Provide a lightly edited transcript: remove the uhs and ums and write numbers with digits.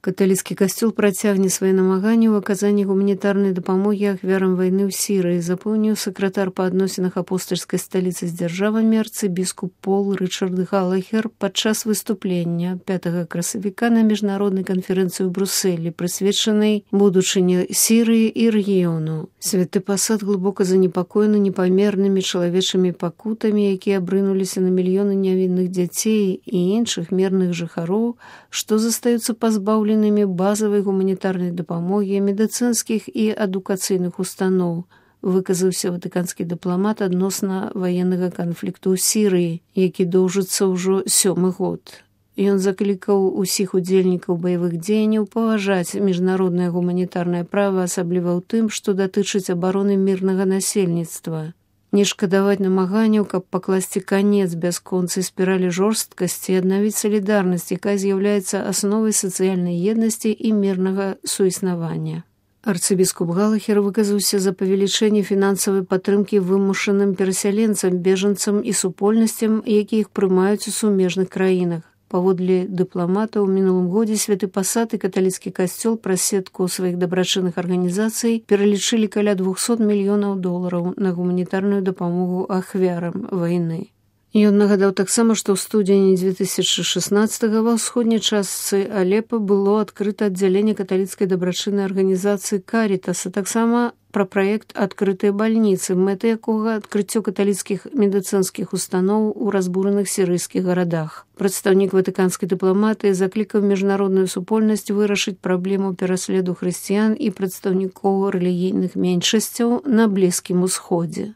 Каталіцкі касцёл працягне свае намаганні ў аказанні гуманітарнай дапамогі ахвярам вайны ў Сірыі, запэўніў сакратар па адносінах апостальскай сталіцы з дзяржавамі арцыбіскуп Пол Рычард Галахер падчас выступлення 5 красавіка на міжнароднай канферэнцыі ў Брусэлі, прысвечанай будучыні Сірыі і рэгіёну. Святы пасад глыбока занепакоены непамернымі чалавечымі пакутамі, якія абрынуліся на мільёны нявінных дзяцей і іншых мірных жыхароў, што застаюцца пазбаўленымі базавай гуманітарнай дапамогі, медыцынскіх і адукацыйных устаноў, выказаўся ватыканскі дыпламат адносна ваеннага канфлікту ў Сірыі, які доўжыцца ўжо 7-й год. Ён заклікаў усіх удзельнікаў баявых дзеянняў паважаць міжнароднае гуманітарнае права, асабліва ў тым, што датычыць абароны мірнага насельніцтва. Не шкадаваць намаганняў, каб пакласці канец бясконцай спіралі жорсткасці і аднавіць салідарнасць, якая з'яўляецца асновай сацыяльнай еднасці і мірнага суіснавання. Арцыбіскуп Галахер выказаўся за павелічэнне фінансавай падтрымкі вымушаным перасяленцам, бежанцам і супольнасцям, якія іх прымаюць у сумежных краінах. Паводле дыпламата, ў мінулым годзе святы пасад і каталіцкі касцёл праз сетку сваіх дабрачынных арганізацый пералічылі каля $200 мільёнаў на гуманітарную дапамогу ахвярам вайны. Ён нагадаў таксама, што ў студзені 2016 ва ўсходняй частцы Алепа было адкрыта аддзяленне каталіцкай дабрачыннай арганізацыі «Карітас», а таксама пра праект «Адкрытыя бальніцы», мэтай якога адкрыццё каталіцкіх медыцынскіх устаноў у разбураных сірыйскіх гарадах. Прадстаўнік ватыканскай дыпламатыі заклікаў міжнародную супольнасць вырашыць праблему пераследу хрысціян і прадстаўнікоў рэлігійных меншасцяў на Блізкім Усходзе.